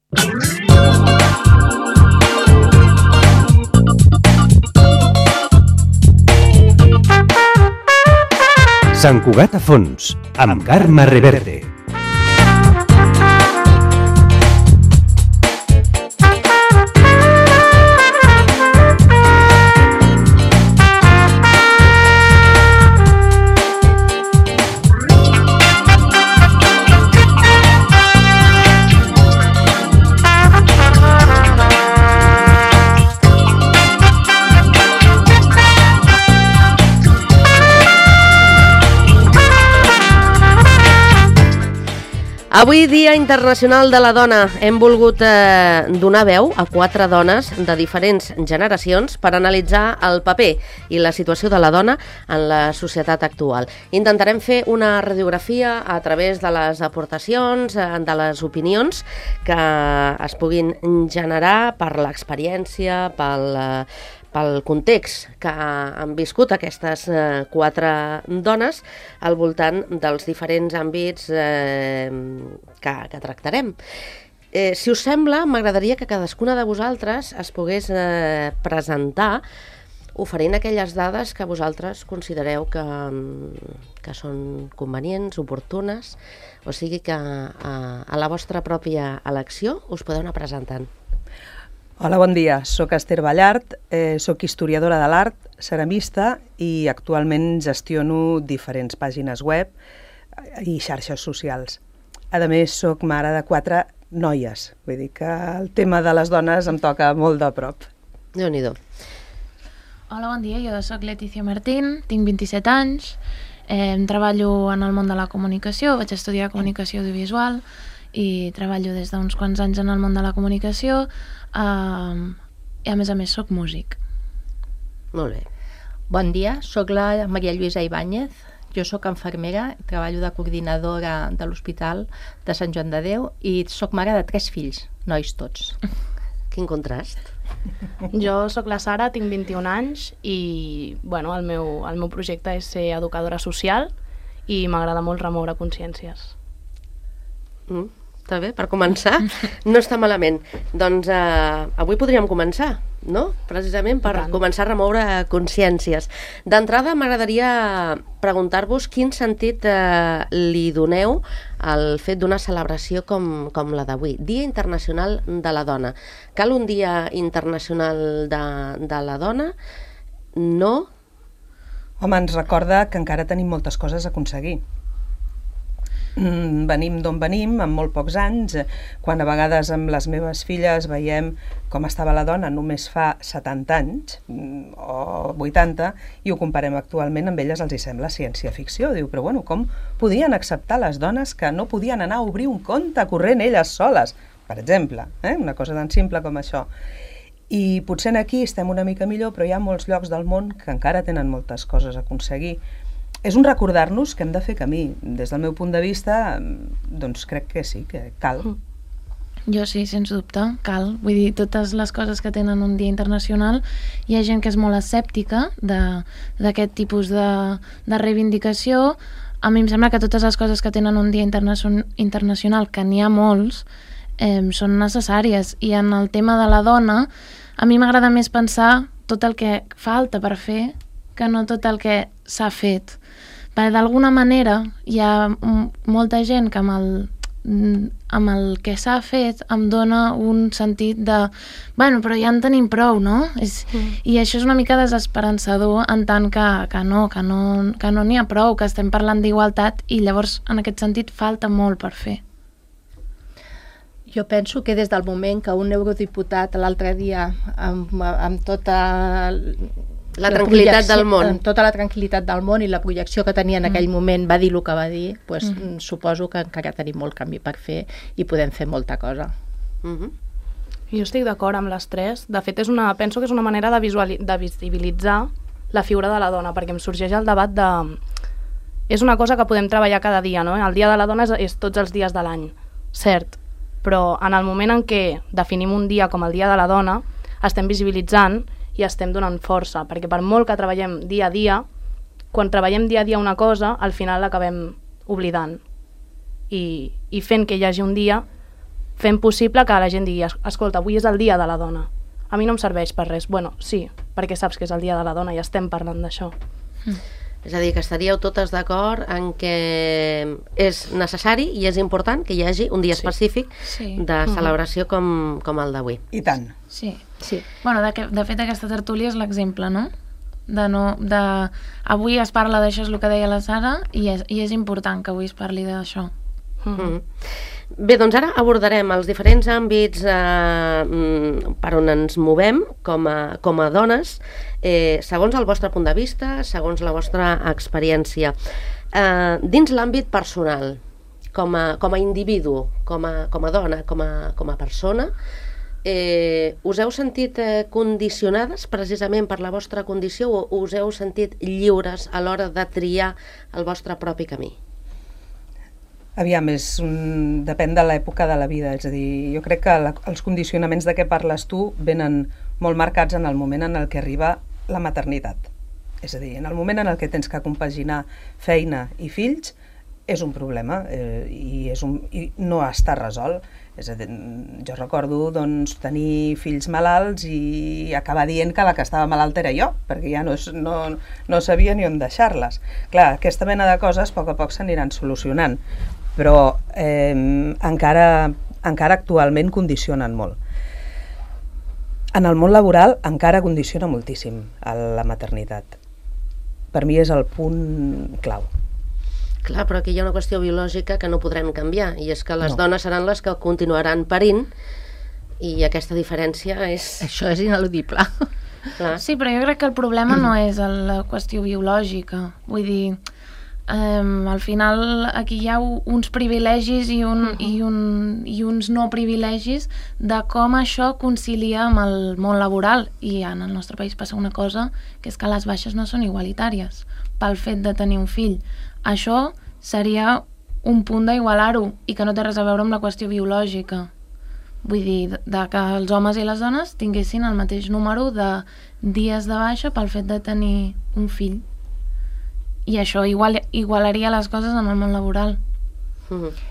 Sant Cugat a fons, amb Carme Reverte. Avui, Dia Internacional de la Dona, hem volgut donar veu a 4 dones de diferents generacions per analitzar el paper i la situació de la dona en la societat actual. Intentarem fer una radiografia a través de les aportacions, de les opinions que es puguin generar per l'experiència, pel context que han viscut aquestes 4 dones al voltant dels diferents àmbits que tractarem. Si us sembla, m'agradaria que cadascuna de vosaltres es pogués presentar oferint aquelles dades que vosaltres considereu que són convenients, oportunes, o sigui que a la vostra pròpia elecció us podeu anar presentant. Hola, bon dia. Soc Esther Ballart, soc historiadora de l'art, ceramista i actualment gestiono diferents pàgines web i xarxes socials. A més, soc mare de 4 noies, vull dir que el tema de les dones em toca molt de prop. Déu-n'hi-do. Hola, bon dia. Jo soc Letícia Martín, tinc 27 anys, treballo en el món de la comunicació, vaig estudiar comunicació audiovisual i treballo des d'uns quants anys en el món de la comunicació i a més soc músic. Molt bé. Bon dia, soc la Maria Lluïsa Ibáñez, jo soc infermera, treballo de coordinadora de l'Hospital de Sant Joan de Déu i soc mare de 3 fills, nois tots. Quin contrast. Jo sóc la Sara, tinc 21 anys i el meu projecte és ser educadora social i m'agrada molt remoure consciències. Està bé, per començar no està malament. Doncs avui podríem començar, no? Precisament per començar a remoure consciències. D'entrada m'agradaria preguntar-vos quin sentit li doneu al fet d'una celebració com la d'avui. Dia Internacional de la Dona. Cal un Dia Internacional de la Dona? No? Home, ens recorda que encara tenim moltes coses a aconseguir. Venim d'on venim, amb molt pocs anys, quan a vegades amb les meves filles veiem com estava la dona només fa 70 anys o 80 i ho comparem actualment, amb elles els hi sembla ciència-ficció. Diu, però bueno, com podien acceptar les dones que no podien anar a obrir un compte corrent elles soles, per exemple, una cosa tan simple com això. I potser aquí estem una mica millor, però hi ha molts llocs del món que encara tenen moltes coses a aconseguir. És un recordar-nos que hem de fer camí. Des del meu punt de vista, doncs crec que sí, que cal. Jo sí, sens dubte, cal. Vull dir, totes les coses que tenen un dia internacional, hi ha gent que és molt escèptica d'aquest tipus de reivindicació. A mi em sembla que totes les coses que tenen un dia internacional, que n'hi ha molts, són necessàries. I en el tema de la dona, a mi m'agrada més pensar tot el que falta per fer que no tot el que s'ha fet. Perquè d'alguna manera hi ha molta gent que amb el que s'ha fet em dona un sentit de però ja en tenim prou, no? I això és una mica desesperançador en tant que no n'hi ha prou, que estem parlant d'igualtat i llavors en aquest sentit falta molt per fer. Jo penso que des del moment que un eurodiputat l'altre dia amb tota la tranquil·litat del món. Tota la tranquil·litat del món i la projecció que tenia en aquell moment va dir el que va dir, suposo que encara tenim molt camí per fer i podem fer molta cosa. Jo estic d'acord amb les 3. De fet, penso que és una manera de visibilitzar la figura de la dona, perquè em sorgeix el debat de... És una cosa que podem treballar cada dia, no? El Dia de la Dona és tots els dies de l'any, cert, però en el moment en què definim un dia com el Dia de la Dona, estem visibilitzant i estem donant força, perquè per molt que treballem dia a dia, quan treballem dia a dia una cosa, al final l'acabem oblidant. I fent que hi hagi un dia, fent possible que la gent digui, escolta, avui és el dia de la dona. A mi no em serveix per res. Bueno, sí, perquè saps que és el dia de la dona i estem parlant d'això. És a dir, que estaríeu totes d'acord en que és necessari i és important que hi hagi un dia específic de celebració com el d'avui. I tant. Sí. Bueno, de fet, aquesta tertúlia és l'exemple, no? Avui es parla d'això, és el que deia la Sara, i és important que avui es parli d'això. Bé, doncs ara abordarem els diferents àmbits per on ens movem com a dones, segons el vostre punt de vista, segons la vostra experiència. Dins l'àmbit personal, com a individu, com a dona, com a persona, us heu sentit condicionades precisament per la vostra condició o us heu sentit lliures a l'hora de triar el vostre propi camí? Aviam, depèn de l'època de la vida, és a dir, jo crec que els condicionaments de què parles tu venen molt marcats en el moment en el que arriba la maternitat. És a dir, en el moment en el que tens que compaginar feina i fills, és un problema i no està resolt. És a dir, jo recordo tenir fills malalts i acabar dient que la que estava malalta era jo, perquè ja no sabia ni on deixar-les. Clar, aquesta mena de coses a poc s'aniran solucionant, però encara actualment condicionen molt. En el món laboral encara condiciona moltíssim la maternitat. Per mi és el punt clau. Clar, però aquí hi ha una qüestió biològica que no podrem canviar, i és que les dones seran les que continuaran parint, i aquesta diferència és... Això és ineludible. Clar. Sí, però jo crec que el problema no és la qüestió biològica. Vull dir, al final aquí hi ha uns privilegis i uns no privilegis de com això concilia amb el món laboral, i en el nostre país passa una cosa, que és que les baixes no són igualitàries pel fet de tenir un fill. Això seria un punt d'igualar-ho i que no té res a veure amb la qüestió biològica. Vull dir, que els homes i les dones tinguessin el mateix número de dies de baixa pel fet de tenir un fill. I això igualaria les coses en el món laboral.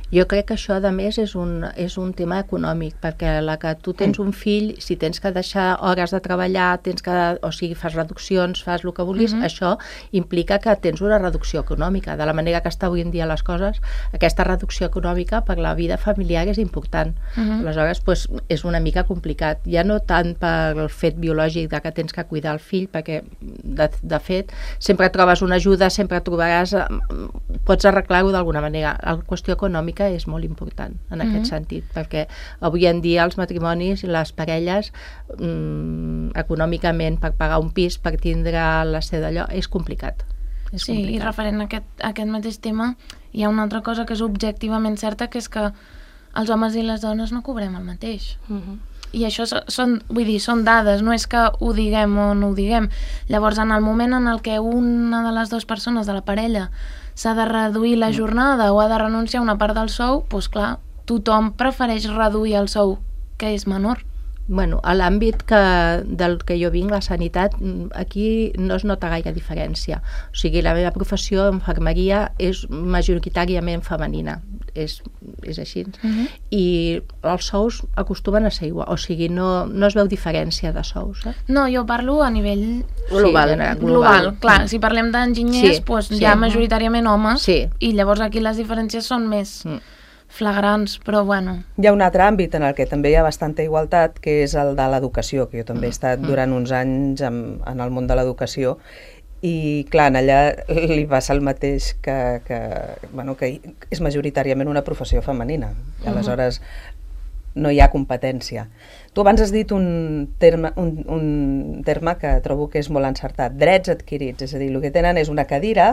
Jo crec que això, a més, és un tema econòmic, perquè la que tu tens un fill, si tens que deixar hores de treballar, o sigui, fas reduccions, fas el que vulguis, això implica que tens una reducció econòmica. De la manera que està avui en dia les coses, aquesta reducció econòmica per la vida familiar és important. Aleshores, és una mica complicat. Ja no tant pel fet biològic de que tens que cuidar el fill, perquè, de fet, sempre trobes una ajuda, sempre trobaràs... Pots arreglar-ho d'alguna manera. La qüestió econòmica és molt important en aquest sentit, perquè avui en dia els matrimonis i les parelles econòmicament per pagar un pis, per tindre la seva d'allò, és complicat. Sí, i referent a aquest mateix tema hi ha una altra cosa que és objectivament certa, que és que els homes i les dones no cobrem el mateix. I això són dades, no és que ho diguem o no ho diguem. Llavors, en el moment en el que una de les dues persones de la parella s'ha de reduir la jornada o ha de renunciar a una part del sou, doncs clar, tothom prefereix reduir el sou, que és menor. Bueno, a l'àmbit del que jo vinc, la sanitat, aquí no es nota gaire diferència. O sigui, la meva professió, infermeria, és majoritàriament femenina. És així. I els sous acostumen a ser igual. O sigui, no es veu diferència de sous. No, jo parlo a nivell global. Clar, si parlem d'enginyers, hi ha majoritàriament homes, i llavors aquí les diferències són més flagrants, però bueno. Hi ha un altre àmbit en el que també hi ha bastanta igualtat, que és el de l'educació, que jo també he estat durant uns anys en el món de l'educació, i clar, allà li passa el mateix que és majoritàriament una professió femenina, i aleshores no hi ha competència. Tu abans has dit un terme que trobo que és molt encertat, drets adquirits, és a dir, el que tenen és una cadira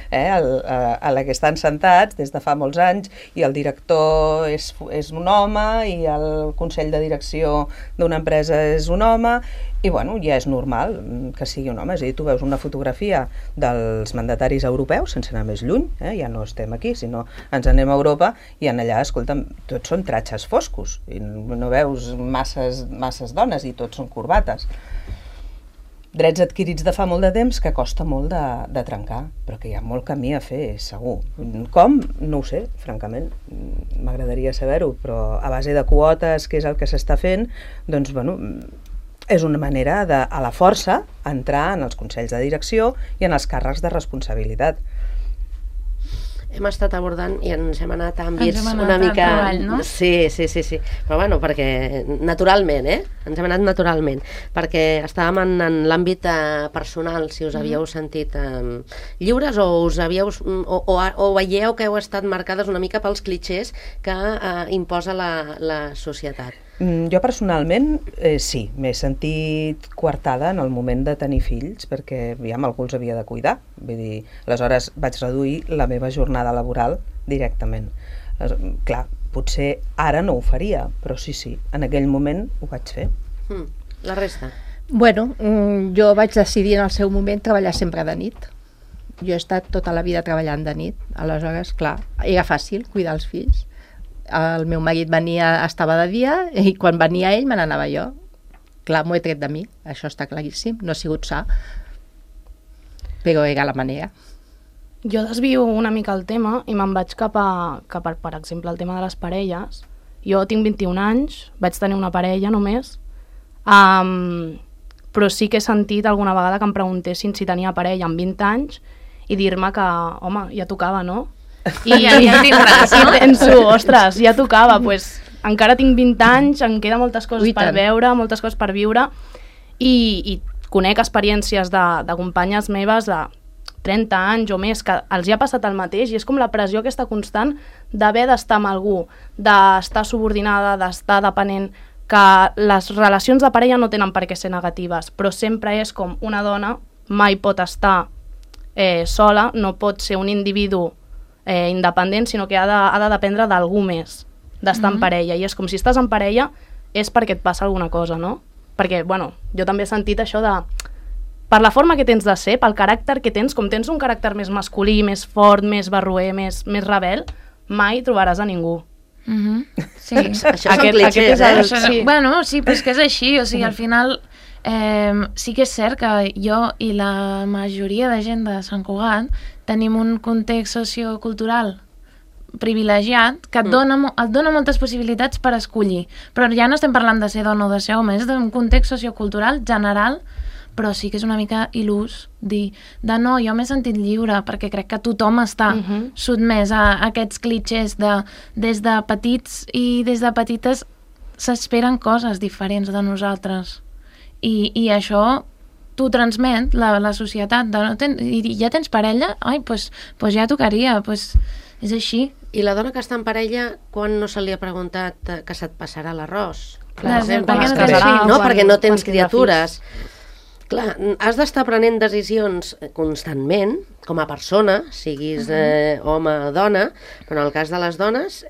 a la que estan sentats des de fa molts anys, i el director és un home i el consell de direcció d'una empresa és un home, i bueno, ja és normal que sigui un home. És a dir, tu veus una fotografia dels mandataris europeus, sense anar més lluny, ja no estem aquí, sinó ens anem a Europa, i en allà, escolta'm, tots són tratges foscos, i no veus masses dones, i tots són corbates. drets adquirits de fa molt de temps que costa molt de trencar, però que hi ha molt camí a fer, segur. Com? No ho sé, francament. M'agradaria saber-ho, però a base de quotes, que és el que s'està fent, doncs, bueno, és una manera de, a la força, entrar en els consells de direcció i en els càrrecs de responsabilitat. Hem estat abordant i ens hem anat a àmbits una mica... Treball, no? Sí. Però bueno, perquè naturalment, Ens hem anat naturalment. Perquè estàvem en l'àmbit personal, si us havíeu sentit lliures o us havíeu... O veieu que heu estat marcades una mica pels clitxers que imposa la societat. Jo personalment sí, m'he sentit coartada en el moment de tenir fills perquè algú els havia de cuidar. Vull dir, aleshores vaig reduir la meva jornada laboral directament. Clar, potser ara no ho faria, però sí, en aquell moment ho vaig fer. La resta? Bueno, jo vaig decidir en el seu moment treballar sempre de nit. Jo he estat tota la vida treballant de nit, aleshores, clar, era fàcil cuidar els fills. El meu marit estava de dia i quan venia ell me n'anava jo. Clar, m'ho he tret de mi, això està claríssim, no ha sigut sa, però era la manera. Jo desvio una mica el tema i me'n vaig cap a, per exemple, el tema de les parelles. Jo tinc 21 anys, vaig tenir una parella només, però sí que he sentit alguna vegada que em preguntessin si tenia parella amb 20 anys i dir-me que, home, ja tocava, no? I ja tindràs, no? I penso, ostres, ja tocava, pues, encara tinc 20 anys, em queden moltes coses per veure, moltes coses per viure, i conec experiències de companyes meves de 30 anys o més, que els hi ha passat el mateix, i és com la pressió aquesta constant d'haver d'estar amb algú, d'estar subordinada, d'estar depenent, que les relacions de parella no tenen per què ser negatives, però sempre és com una dona mai pot estar sola, no pot ser un individu independent, sinó que ha de dependre d'algú més, d'estar en parella. I és com si estàs en parella és perquè et passa alguna cosa, no? Perquè, bueno, jo també he sentit això de... Per la forma que tens de ser, pel caràcter que tens, com tens un caràcter més masculí, més fort, més barroer, més rebel, mai trobaràs a ningú. Sí. Això són clitxers, Sí. Bueno, sí, però és que és així, o sigui, al final sí que és cert que jo i la majoria de gent de Sant Cugat tenim un context sociocultural privilegiat que et dona moltes possibilitats per escollir, però ja no estem parlant de ser dona o de ser home, és d'un context sociocultural general, però sí que és una mica il·lús dir de no, jo m'he sentit lliure perquè crec que tothom està sotmès a aquests clitxers des de petits i des de petites s'esperen coses diferents de nosaltres i això t'ho transmet la societat i ja tens parella? Ai, doncs ja tocaria, és així. I la dona que està en parella, quan no se li ha preguntat que se't passarà l'arròs? Perquè no tens criatures. Clar, has d'estar prenent decisions constantment, com a persona, siguis home o dona, però en el cas de les dones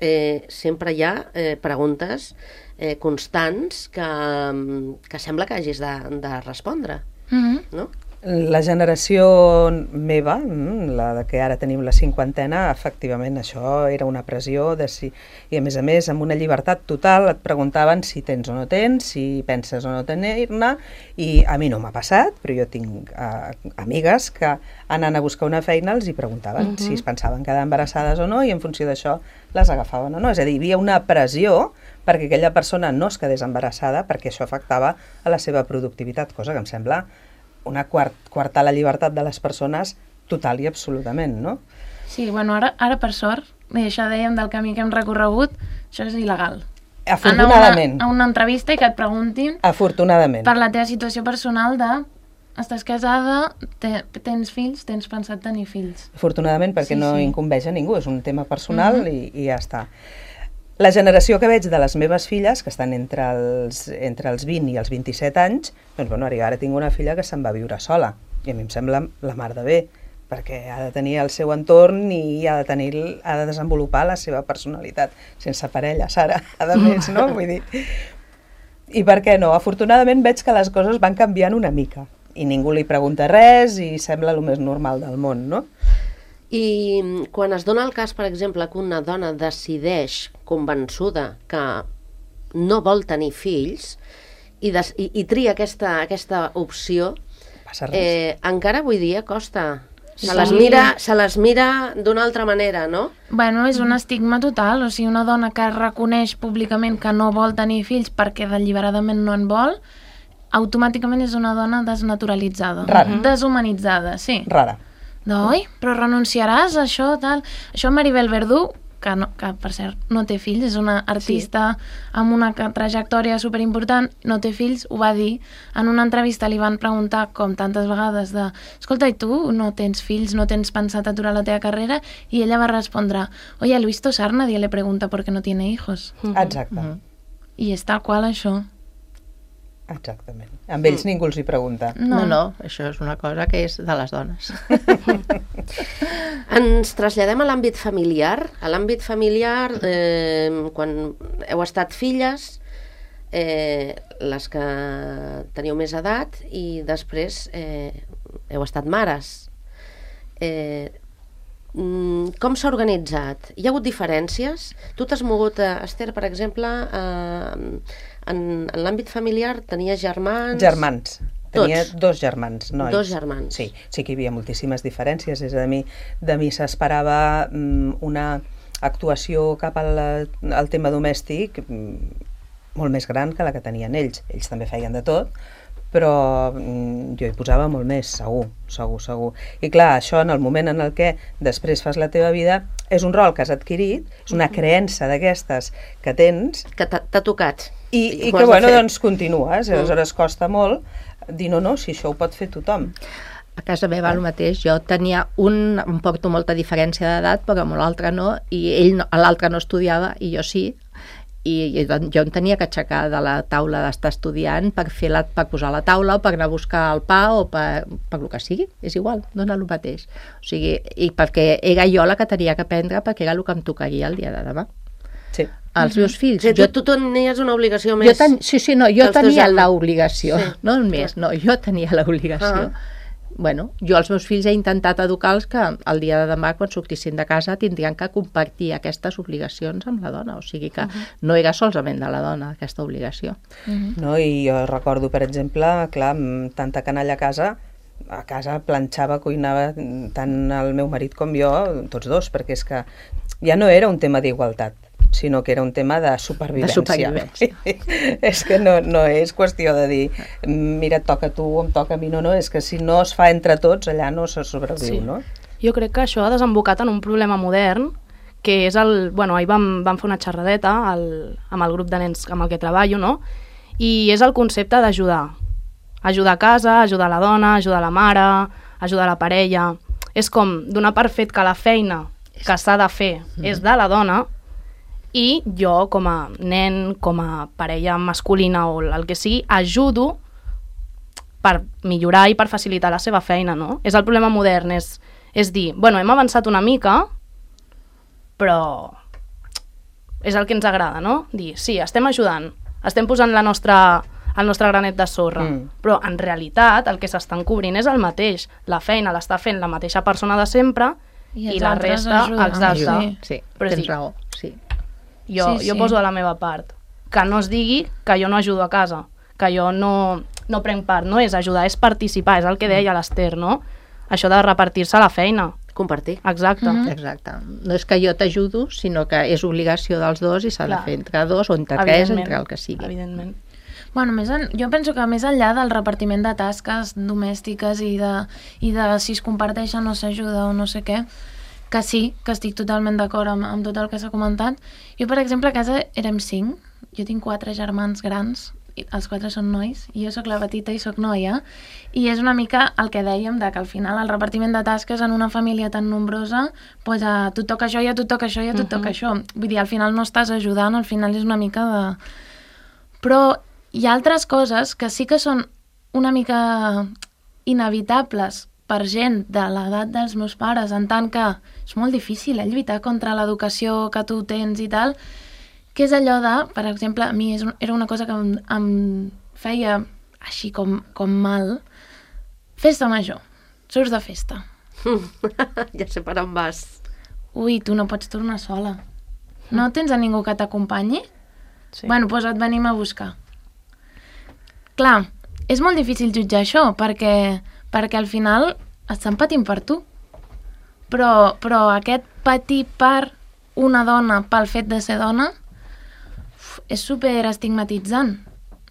sempre hi ha preguntes constants que sembla que hagis de respondre, no? La generació meva, la que ara tenim la 50ena, efectivament això era una pressió i a més amb una llibertat total et preguntaven si tens o no tens, si penses o no tenir-ne, i a mi no m'ha passat, però jo tinc amigues que anant a buscar una feina els hi preguntaven si es pensaven quedar embarassades o no i en funció d'això les agafaven o no. És a dir, hi havia una pressió perquè aquella persona no es quedés embarassada perquè això afectava a la seva productivitat, cosa que em sembla una coartar la llibertat de les persones total i absolutament, no? Sí, bueno, ara per sort, i això dèiem del camí que hem recorregut, això és il·legal. Afortunadament. A una entrevista i que et preguntin afortunadament per la teva situació personal de estàs casada, tens fills, tens pensat tenir fills. Afortunadament, perquè no incumbeix a ningú, és un tema personal i ja està. La generació que veig de les meves filles, que estan entre els 20 i els 27 anys, doncs bueno, ara tinc una filla que se'n va viure sola, i a mi em sembla la mar de bé, perquè ha de tenir el seu entorn i ha de desenvolupar la seva personalitat, sense parella, Sara, a més, no? Vull dir... I per què no? Afortunadament veig que les coses van canviant una mica, i ningú li pregunta res i sembla el més normal del món, no? I quan es dona el cas, per exemple, que una dona decideix, convençuda, que no vol tenir fills i tria aquesta opció, passa res. Encara avui dia costa. Se Sí. les mira d'una altra manera, no? Bueno, és un estigma total, o sigui, una dona que reconeix públicament que no vol tenir fills perquè deliberadament no en vol, automàticament és una dona desnaturalitzada. Rara. Deshumanitzada, sí. Rara. Oi, però renunciaràs a això, tal... Això Maribel Verdú, que per cert no té fills, és una artista amb una trajectòria superimportant, no té fills, ho va dir. En una entrevista li van preguntar, com tantes vegades, de escolta, i tu no tens fills, no tens pensat aturar la teva carrera? I ella va respondre, oye, a Luis Tosar nadie le pregunta por qué no tiene hijos. Exacte. I és tal qual això. Exactament. Amb ells ningú els hi pregunta. No, això és una cosa que és de les dones. Ens traslladem a l'àmbit familiar. A l'àmbit familiar, quan heu estat filles, les que teniu més edat, i després heu estat mares. Com s'ha organitzat? Hi ha hagut diferències? Tu t'has mogut, Esther, per exemple, en l'àmbit familiar tenies germans? Germans. Tenia Tots? 2 germans, nois. 2 germans. Sí, sí que hi havia moltíssimes diferències. És a dir, de mi s'esperava una actuació cap al tema domèstic molt més gran que la que tenien ells. Ells també feien de tot, però jo hi posava molt més, segur. I clar, això en el moment en el que després fas la teva vida és un rol que has adquirit, és una creença d'aquestes que tens Que t'ha tocat. i ho que, has de bueno, fer. doncs continues. Aleshores costa molt dir no, si això ho pot fer tothom. A casa meva el mateix, jo tenia em porto molta diferència d'edat, però amb l'altre no, i l'altre no estudiava i jo sí, i jo em tenia que aixecar de la taula d'estar estudiant per posar la taula o per anar a buscar el pa o per el que sigui, és igual, dona el mateix. O sigui, i perquè era jo la que tenia que aprendre perquè era el que em tocaria el dia de demà. Sí. Els meus fills... O sigui, tu tenies una obligació més... jo tenia germans. l'obligació, Sí. no més, no, jo tenia l'obligació. Bueno, jo als meus fills he intentat educar-los que el dia de demà, quan sortissin de casa, tindrien que compartir aquestes obligacions amb la dona, o sigui que no era solament de la dona aquesta obligació. No? I jo recordo, per exemple, clar, amb tanta canalla a casa planxava, cuinava tant el meu marit com jo, tots dos, perquè és que ja no era un tema d'igualtat, sinó que era un tema de supervivència. És que no és qüestió de dir mira, et toca a tu o em toca a mi, no, és que si no es fa entre tots, allà no se sobreviu, no? Jo crec que això ha desembocat en un problema modern, que és ahir vam fer una xerradeta amb el grup de nens amb el que treballo, no? I és el concepte d'ajudar. Ajudar a casa, ajudar la dona, ajudar la mare, ajudar la parella. És com donar per fet que la feina que s'ha de fer és de la dona, i jo, com a nen, com a parella masculina o el que sigui, ajudo per millorar i per facilitar la seva feina, no? És el problema modern, és dir, bueno, hem avançat una mica, però és el que ens agrada, no? Dir, sí, estem ajudant, estem posant el nostre granet de sorra, però en realitat el que s'estan cobrint és el mateix. La feina l'està fent la mateixa persona de sempre i la resta, exacte. Sí, Però tens sí. raó, sí. Jo poso de la meva part. Que no es digui que jo no ajudo a casa, que jo no prenc part, no és ajudar, és participar, és el que deia l'Esther, no? Això de repartir-se la feina. Compartir. Exacte. Exacte. No és que jo t'ajudo, sinó que és obligació dels dos i s'ha de fer entre dos o entre tres, entre el que sigui. Evidentment. Bueno, jo penso que més enllà del repartiment de tasques domèstiques i de si es comparteixen o s'ajuda o no sé què, que sí, que estic totalment d'acord amb tot el que s'ha comentat. Jo, per exemple, a casa érem 5, jo tinc 4 germans grans, els 4 són nois, i jo sóc la petita i sóc noia, i és una mica el que dèiem, de que al final el repartiment de tasques en una família tan nombrosa, doncs a tu et toca això i a tu et toca això i a tu et toca això. Vull dir, al final no estàs ajudant, al final és una mica de... Però hi ha altres coses que sí que són una mica inevitables per gent de l'edat dels meus pares, en tant que és molt difícil lluitar contra l'educació que tu tens i tal, que és allò de, per exemple, a mi era una cosa que em feia així com mal, festa major, surts de festa. Ja sé per on vas. Ui, tu no pots tornar sola. No tens a ningú que t'acompanyi? Sí. Bueno, doncs et venim a buscar. Clar, és molt difícil jutjar això, perquè perquè al final estan patint per tu. Però aquest patir per una dona pel fet de ser dona és super estigmatitzant,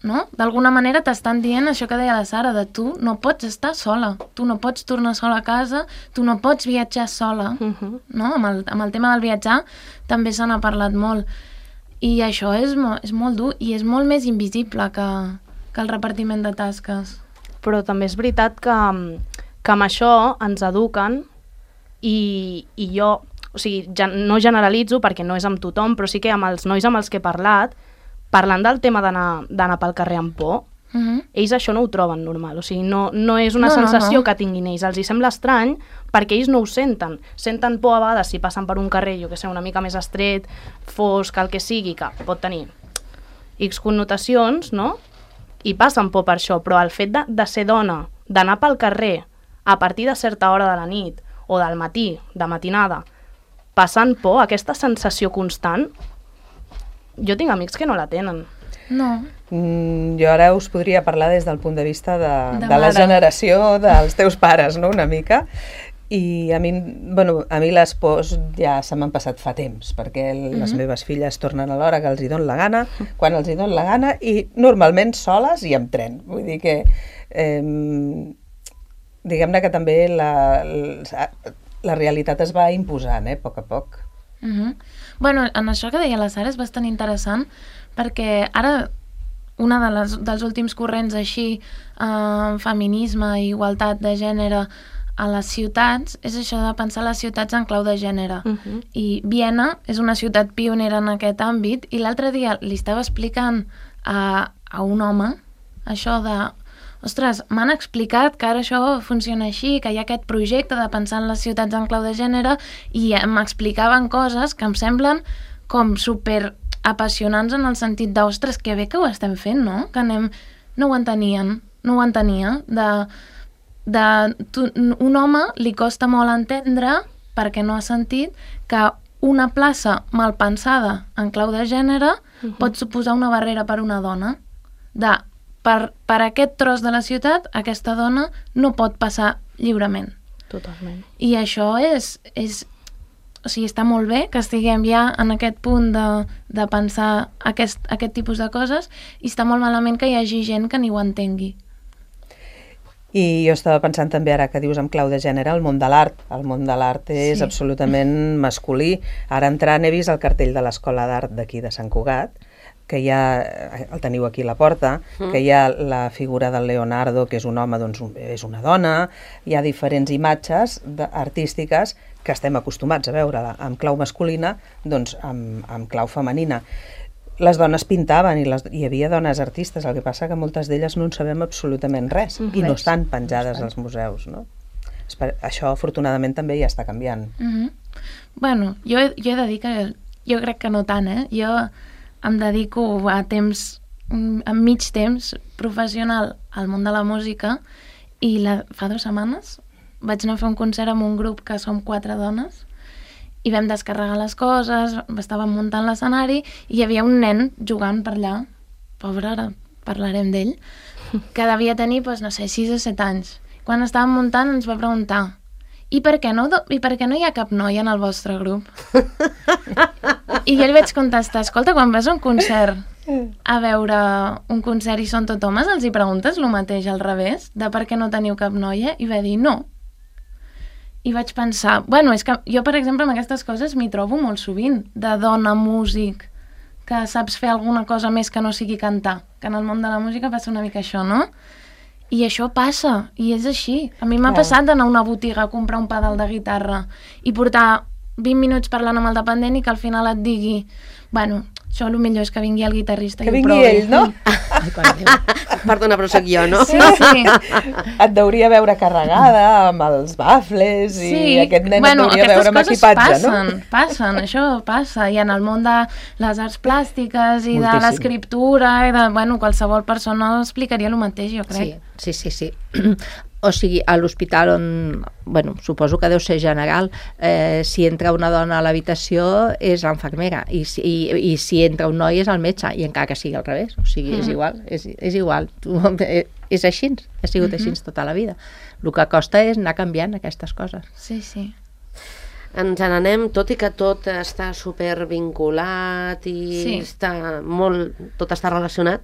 no? D'alguna manera t'estan dient això que deia la Sara, de tu no pots estar sola, tu no pots tornar sola a casa, tu no pots viatjar sola, no? Amb el tema del viatjar també se n'ha parlat molt. I això és molt dur i és molt més invisible que el repartiment de tasques. Però també és veritat que amb això ens eduquen i jo, o sigui, no generalitzo perquè no és amb tothom, però sí que amb els nois amb els que he parlat, parlant del tema d'anar pel carrer amb por, ells això no ho troben normal, o sigui, no és una sensació que tinguin ells, els hi sembla estrany perquè ells no ho senten por a vegades si passen per un carrer, jo que sé, una mica més estret, fosc, el que sigui, que pot tenir X connotacions, no? I passen por per això, però el fet de ser dona, d'anar pel carrer a partir de certa hora de la nit o del matí, de matinada, passant por, aquesta sensació constant, jo tinc amics que no la tenen. No. Jo ara us podria parlar des del punt de vista de la generació dels teus pares, no?, una mica. I a mi les pors ja se m'han passat fa temps, perquè les meves filles tornen a l'hora que els hi don la gana, quan els hi don la gana, i normalment soles i amb tren. Vull dir que diguem-ne que també la realitat es va imposant, a poc a poc. Bueno, en això que deia la Sara és bastant interessant, perquè ara una dels últims corrents així, feminisme i igualtat de gènere a les ciutats, és això de pensar les ciutats en clau de gènere. I Viena és una ciutat pionera en aquest àmbit, i l'altre dia li estava explicant a un home això de ostres, m'han explicat que ara això funciona així, que hi ha aquest projecte de pensar en les ciutats en clau de gènere, i m'explicaven coses que em semblen com super apassionants en el sentit de, ostres, que bé que ho estem fent, no? Que no ho entenien, no ho entenia. Un home li costa molt entendre, perquè no ha sentit, que una plaça mal pensada en clau de gènere pot suposar una barrera per una dona. Per aquest tros de la ciutat, aquesta dona no pot passar lliurement. Totalment. I això o sigui, està molt bé que estiguem ja en aquest punt de pensar aquest tipus de coses, i està molt malament que hi hagi gent que ni ho entengui. I jo estava pensant també, ara que dius en clau de gènere, el món de l'art. El món de l'art és absolutament masculí. Ara entrant he vist el cartell de l'Escola d'Art d'aquí de Sant Cugat, que ja el teniu aquí a la porta, que hi ha la figura del Leonardo, que és un home, doncs és una dona, hi ha diferents imatges artístiques que estem acostumats a veure amb clau masculina, doncs amb clau femenina. Les dones pintaven i hi havia dones artistes, el que passa que moltes d'elles no en sabem absolutament res, i no estan penjades als museus, no? Això afortunadament també ja està canviant. Bueno, jo he de dir que jo crec que no tant, Jo em dedico a mig temps professional al món de la música, i fa 2 setmanes vaig anar a fer un concert amb un grup que som 4 dones, i vam descarregar les coses, estàvem muntant l'escenari, i hi havia un nen jugant per allà, pobre, ara parlarem d'ell, que devia tenir, no sé, 6 o 7 anys. Quan estàvem muntant ens va preguntar: I per què no hi ha cap noia en el vostre grup? I jo li vaig contestar: escolta, quan vas a un concert a veure un concert i són tot homes, els hi preguntes el mateix al revés, de per què no teniu cap noia? I va dir no. I vaig pensar, bueno, és que jo, per exemple, amb aquestes coses m'hi trobo molt sovint, de dona músic, que saps fer alguna cosa més que no sigui cantar, que en el món de la música passa una mica això, no? I això passa, i és així. A mi m'ha passat d'anar a una botiga a comprar un pedal de guitarra i portar 20 minuts parlant amb el dependent i que al final et digui, bueno, això el millor és que vingui el guitarrista i ho provi. Que vingui ell, no? Perdona, però soc jo, no? Sí. Et deuria veure carregada amb els bafles i aquest nen et deuria veure amb equipatge, no? Passen, això passa. I en el món de les arts plàstiques i de l'escriptura i de, qualsevol persona explicaria el mateix, jo crec. Sí. O sigui, a l'hospital on, bueno, suposo que deu ser general, si entra una dona a l'habitació és l'infermera i si entra un noi és el metge, i encara que sigui al revés, o sigui, és igual, és igual. És així, ha sigut així tota la vida. El que costa és anar canviant aquestes coses. Sí, sí. Ens n'anem, tot i que tot està supervinculat i tot està relacionat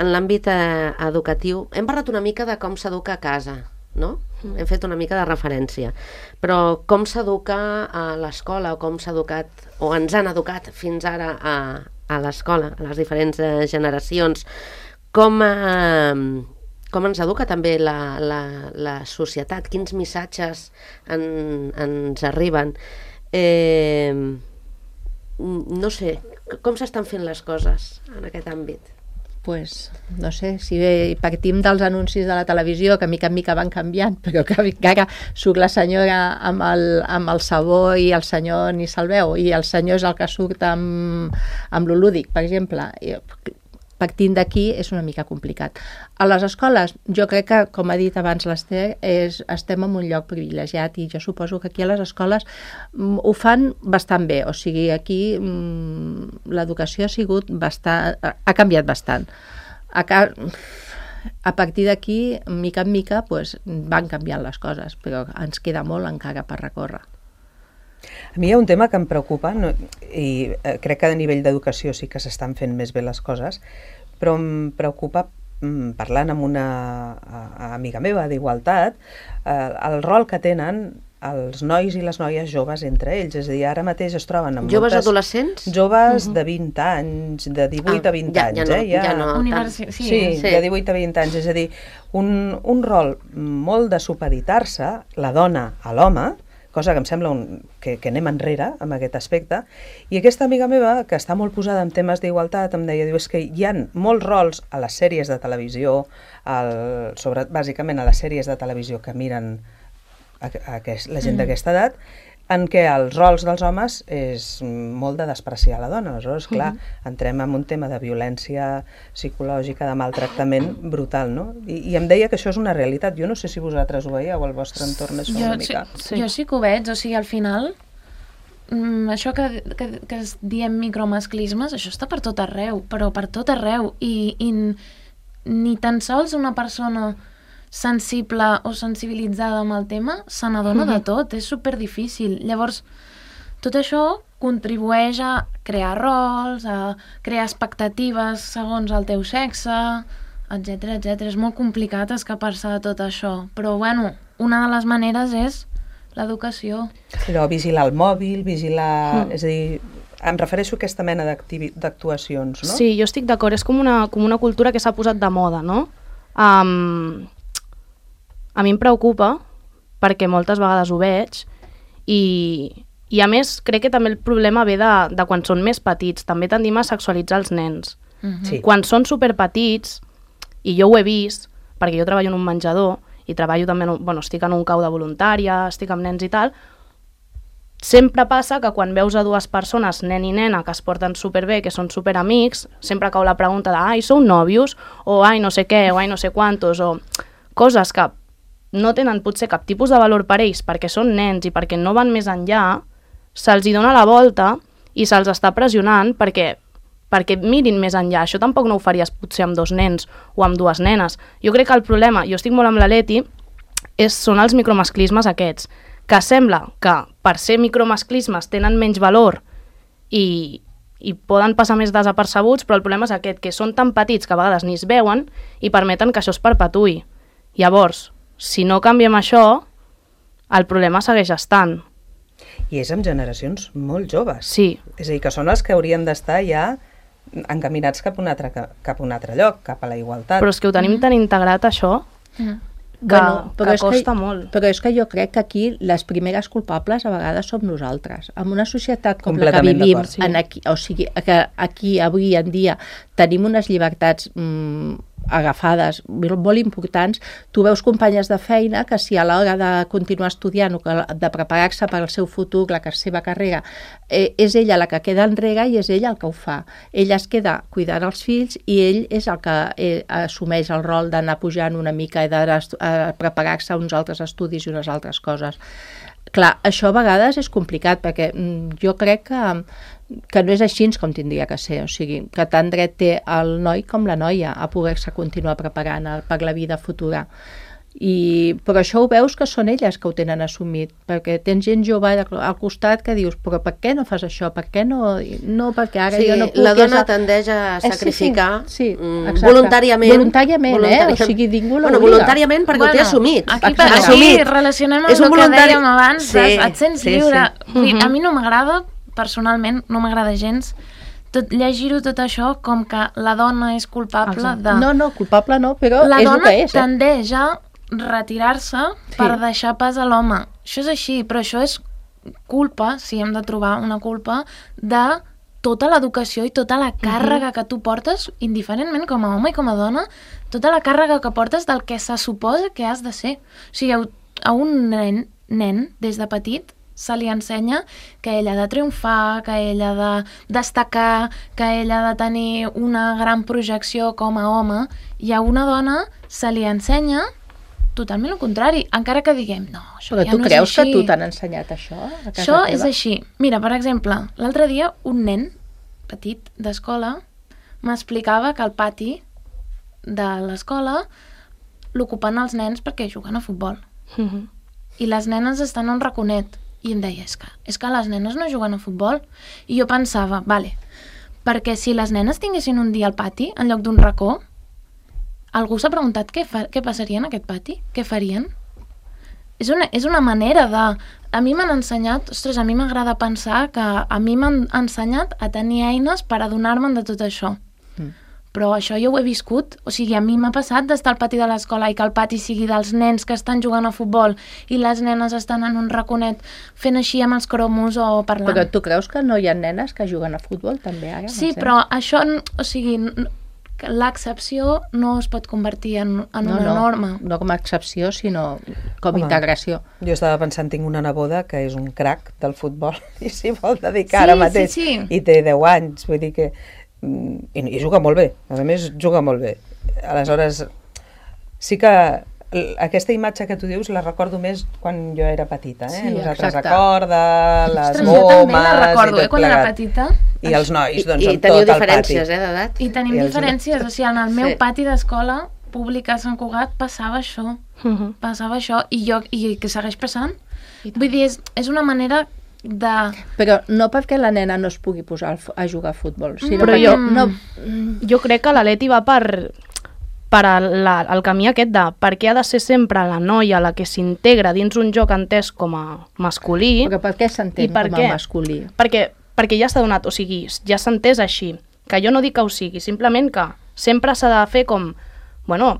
en l'àmbit educatiu. Hem parlat una mica de com s'educa a casa, no? Hem fet una mica de referència. Però com s'educa a l'escola, o com s'ha educat, o ens han educat fins ara a l'escola, a les diferents generacions, com ens educa també la societat, quins missatges ens arriben. No sé, com s'estan fent les coses en aquest àmbit? Pues, no sé, si partim dels anuncis de la televisió, que mica en mica van canviant, però que encara surt la senyora amb el sabó i el senyor ni se'l veu, i el senyor és el que surt amb lo lúdic, per exemple. Partint d'aquí és una mica complicat. A les escoles, jo crec que, com ha dit abans l'Ester, estem en un lloc privilegiat, i jo suposo que aquí a les escoles ho fan bastant bé. O sigui, aquí l'educació ha canviat bastant. A partir d'aquí, mica en mica, van canviant les coses, però ens queda molt encara per recórrer. A mi hi ha un tema que em preocupa, i crec que a nivell d'educació sí que s'estan fent més bé les coses, però em preocupa, parlant amb una amiga meva d'Igualtat, el rol que tenen els nois i les noies joves entre ells. És a dir, ara mateix es troben amb joves adolescents? Joves de 20 anys, de 18 a 20 anys. Sí, de 18 a 20 anys. És a dir, un rol molt de supeditar-se, la dona a l'home, cosa que em sembla que anem enrere amb aquest aspecte. I aquesta amiga meva, que està molt posada en temes d'igualtat, em deia, és que hi ha molts rols a les sèries de televisió, bàsicament a les sèries de televisió que miren la gent d'aquesta edat, en què els rols dels homes és molt de despreciar la dona. Aleshores, clar, entrem en un tema de violència psicològica, de maltractament brutal, no? I em deia que això és una realitat. Jo no sé si vosaltres ho veieu, al vostre entorn és una mica. Jo sí que ho veig, o sigui, al final, això que diem micromasclismes, això està per tot arreu, però per tot arreu, i ni tan sols una persona sensible o sensibilitzada amb el tema se n'adona de tot, és superdifícil. Llavors, tot això contribueix a crear rols, a crear expectatives segons el teu sexe, etc. És molt complicat escapar-se de tot això, però bueno, una de les maneres és l'educació. Però vigilar el mòbil, és a dir, em refereixo a aquesta mena d'actuacions, no? Sí, jo estic d'acord, és com una cultura que s'ha posat de moda, no? A mi em preocupa perquè moltes vegades ho veig i a més crec que també el problema ve de quan són més petits. També tendim a sexualitzar els nens. Sí. Quan són superpetits, i jo ho he vist, perquè jo treballo en un menjador i treballo també, estic en un cau de voluntària, estic amb nens i tal, sempre passa que quan veus a dues persones, nen i nena, que es porten superbé, que són superamics, sempre cau la pregunta de ai, sou nòvios? O ai, no sé què, o ai, no sé quantos, o coses que no tenen potser cap tipus de valor per ells perquè són nens i perquè no van més enllà, se'ls hi dona la volta i se'ls està pressionant perquè mirin més enllà. Això tampoc no ho faries potser amb dos nens o amb dues nenes. Jo crec que el problema, jo estic molt amb la Leti, són els micromasclismes aquests, que sembla que per ser micromasclismes tenen menys valor i poden passar més desapercebuts, però el problema és aquest, que són tan petits que a vegades ni es veuen i permeten que això es perpetuï. Llavors, si no canviem això, el problema segueix estant. I és amb generacions molt joves. Sí. És a dir, que són els que haurien d'estar ja encaminats cap a un altre lloc, cap a la igualtat. Però és que ho tenim tan integrat, això, que costa molt. Però és que jo crec que aquí les primeres culpables a vegades som nosaltres. En una societat com la que vivim, o sigui, que aquí avui en dia tenim unes llibertats agafades molt importants, tu veus companyes de feina que si a l'hora de continuar estudiant o de preparar-se per al seu futur, la seva carrera, és ella la que queda enrere i és ella el que ho fa. Ella es queda cuidant els fills i ell és el que assumeix el rol d'anar pujant una mica i de preparar-se a uns altres estudis i unes altres coses. Clar, això a vegades és complicat perquè jo crec que no és així com tindria que ser, o sigui, que tant dret té el noi com la noia a poder-se continuar preparant per la vida futura. Però això ho veus que són elles que ho tenen assumit, perquè tens gent jove al costat que dius, però per què no fas això? Per què no? No, perquè ara jo no puc... La dona tendeix a sacrificar voluntàriament. Voluntàriament, o sigui, ningú l'obliga. Voluntàriament perquè ho té assumit. Aquí relacionem amb el que dèiem abans, et sents lliure. A mi no m'agrada, personalment, no m'agrada gens llegir-ho tot això com que la dona és culpable de... No, culpable no, però és el que és. La dona tendeix a retirar-se per deixar pas a l'home. Això és així, però això és culpa, si hem de trobar una culpa, de tota l'educació i tota la càrrega que tu portes, indiferentment com a home i com a dona, tota la càrrega que portes del que se suposa que has de ser. O sigui, a un nen des de petit, se li ensenya que ell ha de triomfar, que ell ha de destacar, que ell ha de tenir una gran projecció com a home, i a una dona se li ensenya totalment el contrari, encara que diguem, no, això ja no és així. Però tu creus que tu t'han ensenyat això a casa teva? Això és així. Mira, per exemple, l'altre dia un nen petit d'escola m'explicava que al pati de l'escola l'ocupen els nens perquè juguen a futbol. I les nenes estan a un raconet. I em deia, és que les nenes no juguen a futbol. I jo pensava, vale, perquè si les nenes tinguessin un dia al pati en lloc d'un racó, algú s'ha preguntat què passaria en aquest pati? Què farien? És una manera de... A mi m'han ensenyat, a mi m'agrada pensar que a mi m'han ensenyat a tenir eines per adonar-me'n de tot això. Però això jo ho he viscut, o sigui, a mi m'ha passat d'estar al pati de l'escola i que el pati sigui dels nens que estan jugant a futbol i les nenes estan en un raconet fent així amb els cromos o parlant. Però tu creus que no hi ha nenes que juguen a futbol també ara? Sí, però això, o sigui, l'excepció no es pot convertir en una norma. No com a excepció, sinó com integració. Jo estava pensant, tinc una neboda que és un crac del futbol i s'hi vol dedicar ara mateix i té 10 anys, vull dir que i juga molt bé, a més juga molt bé. Aleshores, sí que aquesta imatge que tu dius la recordo més quan jo era petita, nosaltres a corda, les gomes... Jo també la recordo, quan era petita. I els nois, doncs, amb tot el pati. I teniu diferències, d'edat. I tenim diferències, o sigui, en el meu pati d'escola pública a Sant Cugat passava això, i que segueix passant. Vull dir, és una manera de... Però no perquè la nena no es pugui posar a jugar a futbol, sinó però perquè jo crec que la Leti va per el camí aquest de per què ha de ser sempre la noia la que s'integra dins un joc entès com a masculí. Però per què s'entén com a masculí? Perquè ja s'ha donat, o sigui, ja s'ha entès així, que jo no dic que ho sigui, simplement que sempre s'ha de fer com, bueno,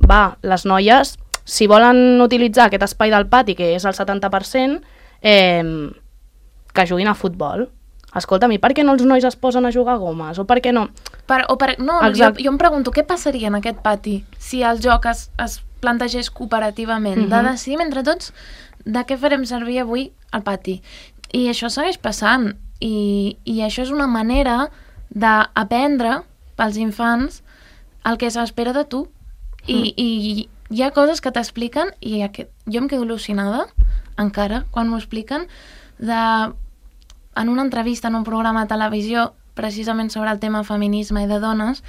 les noies, si volen utilitzar aquest espai del pati, que és el 70%, que juguin a futbol. Escolta'm, i per què no els nois es posen a jugar a gomes? O per què no? Jo em pregunto, què passaria en aquest pati si el joc es plantegés cooperativament, de decidir entre tots de què farem servir avui al pati. I això segueix passant, i això és una manera d'aprendre pels infants el que s'espera de tu. I hi ha coses que t'expliquen, i jo em quedo al·lucinada, encara, quan m'ho expliquen, en una entrevista en un programa de televisió precisament sobre el tema feminisme i de dones,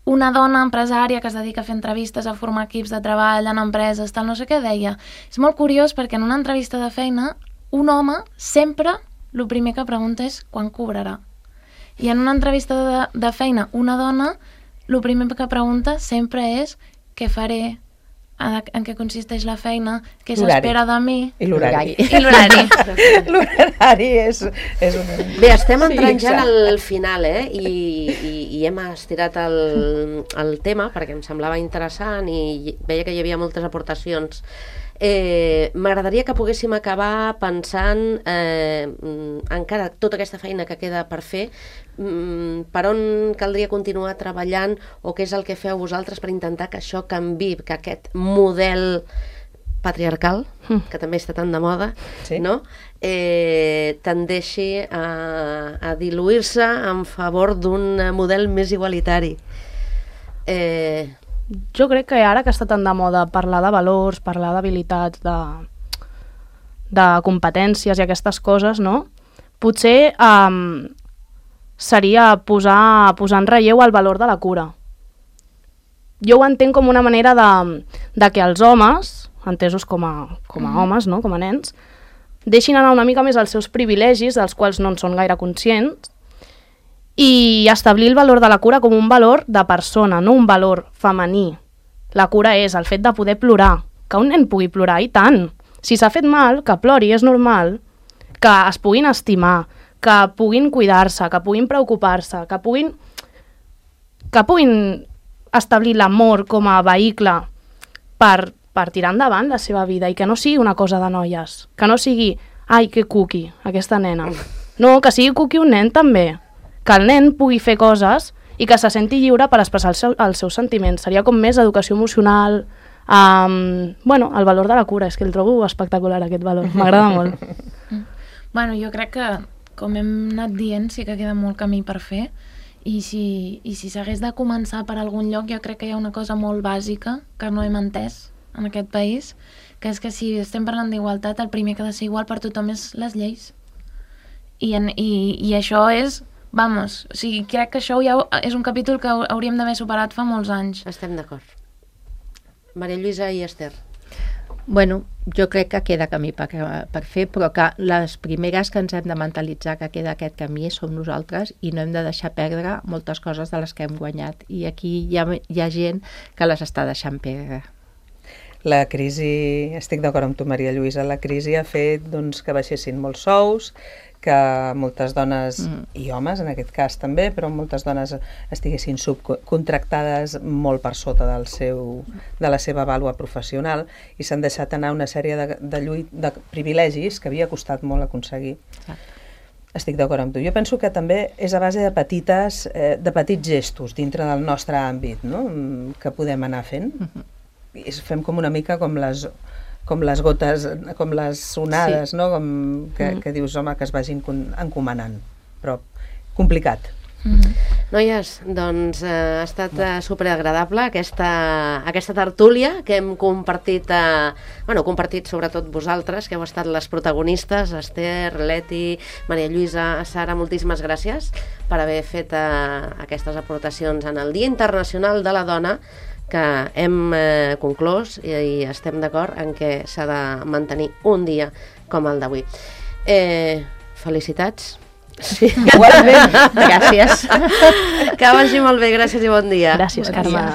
una dona empresària que es dedica a fer entrevistes, a formar equips de treball en empreses, tal, no sé què, deia, és molt curiós perquè en una entrevista de feina un home sempre el primer que pregunta és quan cobrarà, i en una entrevista de feina una dona el primer que pregunta sempre és què faré, en què consisteix la feina, què s'espera de mi... I l'horari. L'horari és un... Bé, estem entrant ja al final, i hem estirat el tema perquè em semblava interessant i veia que hi havia moltes aportacions M'agradaria que poguéssim acabar pensant encara tota aquesta feina que queda per fer, per on caldria continuar treballant o què és el que feu vosaltres per intentar que això canvi, que aquest model patriarcal, que també està tan de moda, no? Tendeixi a diluir-se en favor d'un model més igualitari. Jo crec que ara que està tan de moda parlar de valors, parlar d'habilitats, de competències i aquestes coses, no? Potser seria posar en relleu el valor de la cura. Jo ho entenc com una manera de que els homes, entesos com a homes, no? Com a nens, deixin anar una mica més els seus privilegis, dels quals no en són gaire conscients, i establir el valor de la cura com un valor de persona, no un valor femení. La cura és el fet de poder plorar, que un nen pugui plorar, i tant. Si s'ha fet mal, que plori, és normal, que es puguin estimar, que puguin cuidar-se, que puguin preocupar-se, que puguin establir l'amor com a vehicle per tirar endavant la seva vida i que no sigui una cosa de noies, que no sigui, ai, que cuqui, aquesta nena. No, que sigui cuqui un nen també. Que el nen pugui fer coses i que se senti lliure per expressar els seus sentiments. Seria com més educació emocional, el valor de la cura. És que el trobo espectacular, aquest valor. M'agrada molt. Bueno, jo crec que, com hem anat dient, sí que queda molt camí per fer, i si s'hagués de començar per algun lloc, jo crec que hi ha una cosa molt bàsica que no hem entès en aquest país, que és que si estem parlant d'igualtat, el primer que ha de ser igual per tothom és les lleis. I això és... Vamos, o sigui, crec que això ja és un capítol que hauríem d'haver superat fa molts anys. Estem d'acord. Maria Lluïsa i Esther. Bueno, jo crec que queda camí per fer, però que les primeres que ens hem de mentalitzar que queda aquest camí som nosaltres i no hem de deixar perdre moltes coses de les que hem guanyat. I aquí hi ha gent que les està deixant perdre. La crisi, estic d'acord amb tu, Maria Lluïsa, la crisi ha fet que baixessin molts sous, que moltes dones, i homes en aquest cas també, però moltes dones estiguessin subcontractades molt per sota de la seva vàlua professional i s'han deixat anar una sèrie de privilegis que havia costat molt aconseguir. Estic d'acord amb tu. Jo penso que també és a base de petits gestos dintre del nostre àmbit, no? Que podem anar fent. Fem com una mica com les gotes, com les onades, no? Que dius, home, que es vagin encomanant, però complicat. Noies, doncs ha estat superagradable aquesta tertúlia que hem compartit, compartit sobretot vosaltres, que heu estat les protagonistes, Esther, Leti, Maria Lluïsa, Sara, moltíssimes gràcies per haver fet aquestes aportacions en el Dia Internacional de la Dona, que hem conclòs i estem d'acord en què s'ha de mantenir un dia com el d'avui. Felicitats. Sí, igualment. Gràcies. Que vagi molt bé, gràcies i bon dia. Gràcies, Carme.